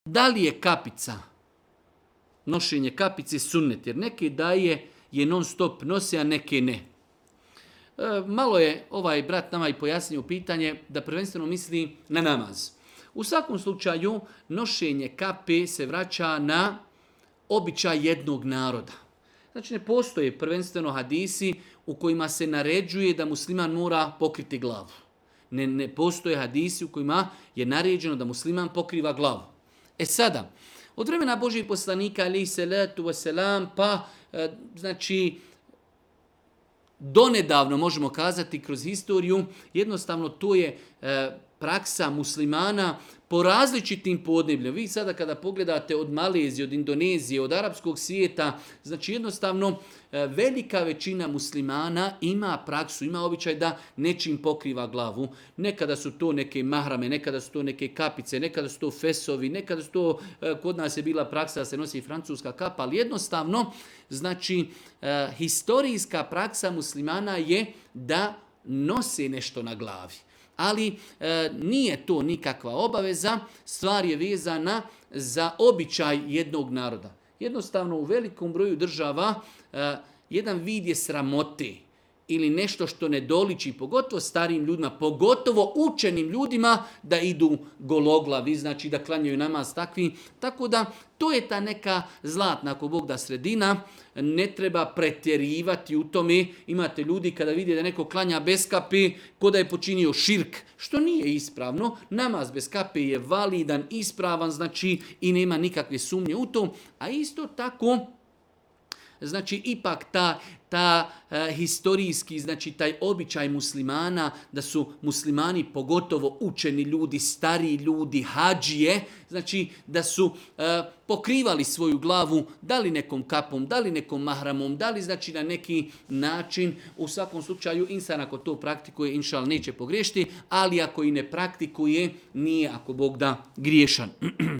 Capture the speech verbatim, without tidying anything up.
da li je kapica, nošenje kapice sunnet, jer neke daje je non stop nose, a neke ne. E, malo je ovaj brat nama i pojasnio pitanje da prvenstveno misli na namaz. U svakom slučaju, nošenje kape se vraća na običaj jednog naroda. Znači, ne postoje prvenstveno hadisi u kojima se naređuje da musliman mora pokriti glavu. Ne, ne postoje hadisi u kojima je naređeno da musliman pokriva glavu. E sada, od vremena Božijeg poslanika, alejhi salatu vesselam, pa, e, znači, donedavno možemo kazati kroz historiju, jednostavno to je e, praksa muslimana po različitim podnebljima. Vi sada kada pogledate od Malezije, od Indonezije, od arapskog svijeta, znači jednostavno velika većina muslimana ima praksu, ima običaj da nečim pokriva glavu. Nekada su to neke mahrame, nekada su to neke kapice, nekada su to fesovi, nekada su to, kod nas je bila praksa da se nosi francuska kapa, ali jednostavno, znači, historijska praksa muslimana je da nose nešto na glavi. Ali e, nije to nikakva obaveza, stvar je vezana za običaj jednog naroda. Jednostavno u velikom broju država e, jedan vid je sramote ili nešto što ne doliči, pogotovo starijim ljudima, pogotovo učenim ljudima da idu gologlavi, znači da klanjaju namaz takvi. Tako da to je ta neka zlatna, ako Bog da, sredina, ne treba pretjerivati u tome. Imate ljudi kada vide da neko klanja bez kape, ko da je počinio širk, što nije ispravno. Namaz bez kape je validan, ispravan, znači i nema nikakve sumnje u to. A isto tako, znači ipak ta, ta e, historijski, znači taj običaj muslimana, da su muslimani pogotovo učeni ljudi, stariji ljudi, hadžije, znači da su e, pokrivali svoju glavu, da li nekom kapom, da li nekom mahramom, da li znači na neki način. U svakom slučaju insan ako to praktikuje, inšal neće pogriješiti, ali ako i ne praktikuje, nije, ako Bog da, griješan.